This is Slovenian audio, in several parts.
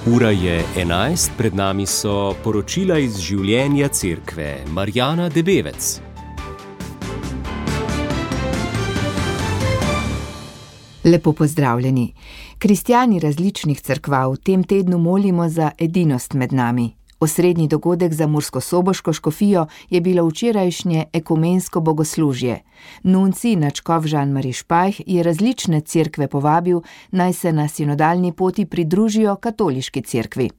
Ura je 11, pred nami so poročila iz življenja cerkve. Marjana Debevec. Lepo pozdravljeni. Kristjani različnih cerkva v tem tednu molimo za edinost med nami. Osrednji dogodek za murskosoboško škofijo je bilo včerajšnje ekumensko bogoslužje. Nuncij nadškof Žan-Mari Špajh je različne cerkve povabil, naj se na sinodalni poti pridružijo katoliški cerkvi.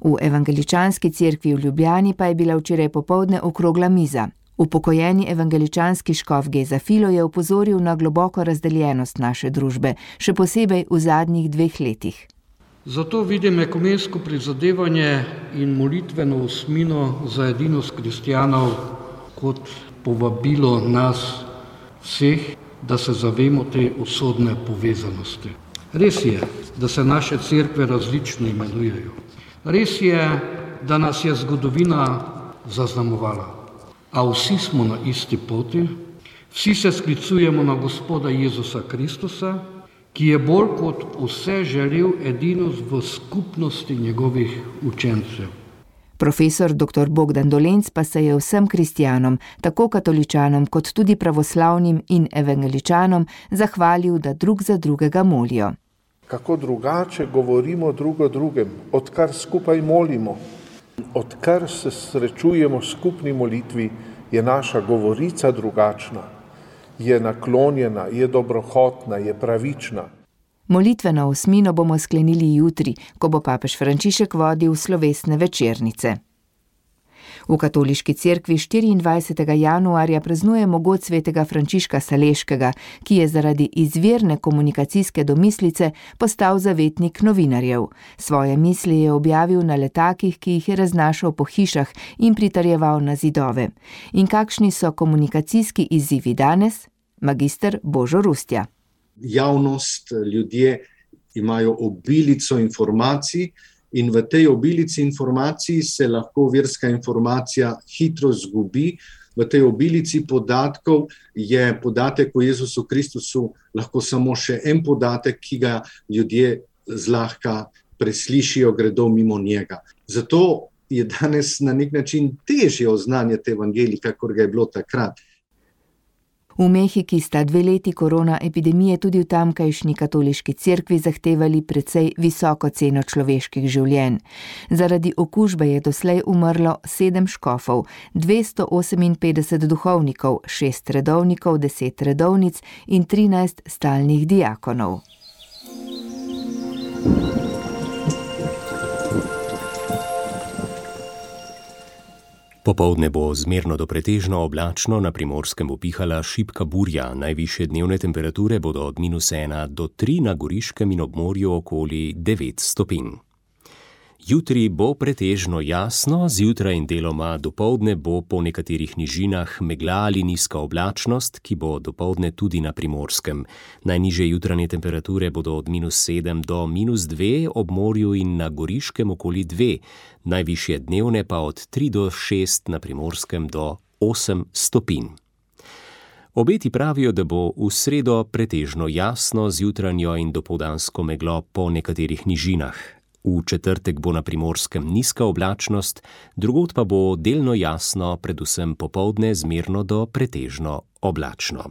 V evangeličanski cerkvi v Ljubljani pa je bila včeraj popoldne okrogla miza. Upokojeni evangeličanski škof Geza Filo je opozoril na globoko razdeljenost naše družbe, še posebej v zadnjih 2 letih. Zato vidim ekumensko prizadevanje in molitveno osmino za edinost kristjanov kot povabilo nas vseh, da se zavemo te usodne povezanosti. Res je, da se naše cerkve različno imenujejo. Res je, da nas je zgodovina zaznamovala. A vsi smo na isti poti, vsi se sklicujemo na Gospoda Jezusa Kristusa, ki je bolj kot vse želel edinost v skupnosti njegovih učencev. Profesor dr. Bogdan Dolenc pa se je vsem kristjanom, tako katoličanom kot tudi pravoslavnim in evangeličanom, zahvalil, da drug za drugega molijo. Kako drugače govorimo drug o drugem, odkar skupaj molimo, odkar se srečujemo v skupni molitvi, je naša govorica drugačna. Je naklonjena, je dobrohotna, je pravična. Molitveno osmino bomo sklenili jutri, ko bo papež Frančišek vodil slovesne večernice. V katoliški cerkvi 24. januarja praznujemo god svetega Frančiška Saleškega, ki je zaradi izvirne komunikacijske domislice postal zavetnik novinarjev. Svoje misli je objavil na letakih, ki jih je raznašal po hišah in pritrjeval na zidove. In kakšni so komunikacijski izzivi danes? Magister Božo Rustja. Javnost, ljudje imajo obilico informacij, in v tej obilici informacij se lahko verska informacija hitro zgubi. V tej obilici podatkov je podatek o Jezusu Kristusu lahko samo še en podatek, ki ga ljudje zlahka preslišijo, gredo mimo njega. Zato je danes na nek način težje oznanjati evangelij, kakor ga je bilo takrat. V Mehiki sta 2 leti korona epidemije tudi v tamkajšnji katoliški cerkvi zahtevali precej visoko ceno človeških življenj. Zaradi okužbe je doslej umrlo 7 škofov, 258 duhovnikov, 6 redovnikov, 10 redovnic in 13 stalnih diakonov. Popoldne bo zmerno do pretežno oblačno, na Primorskem bo pihala šibka burja. Najvišje dnevne temperature bodo od -1 do 3, na Goriškem in ob morju okoli 9 stopinj. Jutri bo pretežno jasno, zjutraj in deloma dopoldne bo po nekaterih nižinah megla ali nizka oblačnost, ki bo dopoldne tudi na Primorskem. Najnižje jutranje temperature bodo od -7 do -2, ob morju in na Goriškem okoli 2, najvišje dnevne pa od 3 do 6, na Primorskem do 8 stopinj. Obeti pravijo, da bo v sredo pretežno jasno z jutranjo in dopoldansko meglo po nekaterih nižinah. V četrtek bo na Primorskem nizka oblačnost, drugod pa bo delno jasno, predvsem popoldne zmerno do pretežno oblačno.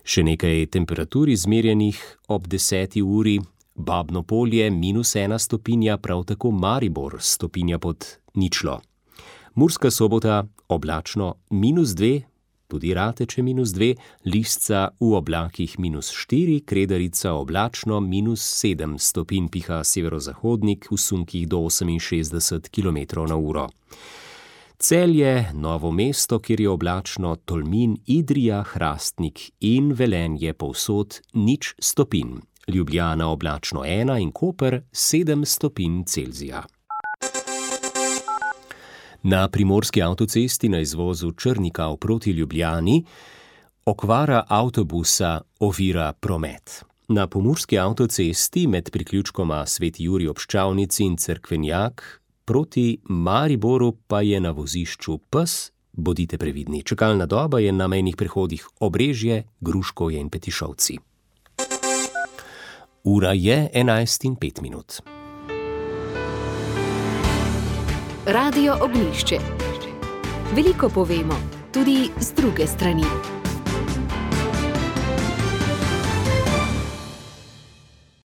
Še nekaj temperatur izmerjenih ob 10. uri. Babno Polje -1 stopinja, prav tako Maribor stopinja pod ničlo. Murska Sobota oblačno -2, tudi Rateče -2, Lisca v oblakih -4, Kredarica oblačno -7 stopinj, piha severozahodnik v sunkih do 68 km/h. Celje, Novo mesto, kjer je oblačno, Tolmin, Idrija, Hrastnik in Velenje povsod 0 stopinj. Ljubljana oblačno 1 in Koper 7 stopinj Celzija. Na primorski avtocesti na izvozu Črnikav proti Ljubljani okvara avtobusa ovira promet. Na pomurski avtocesti med priključkoma Sveti Jurij ob Ščavnici in Cerkvenjak proti Mariboru pa je na vozišču pes. Bodite previdni, čakalna doba je na mejnih prehodih Obrežje, Gruškovje in Petišovci. Ura je 11:05. Radio Ognjišče. Veliko povemo, tudi z druge strani.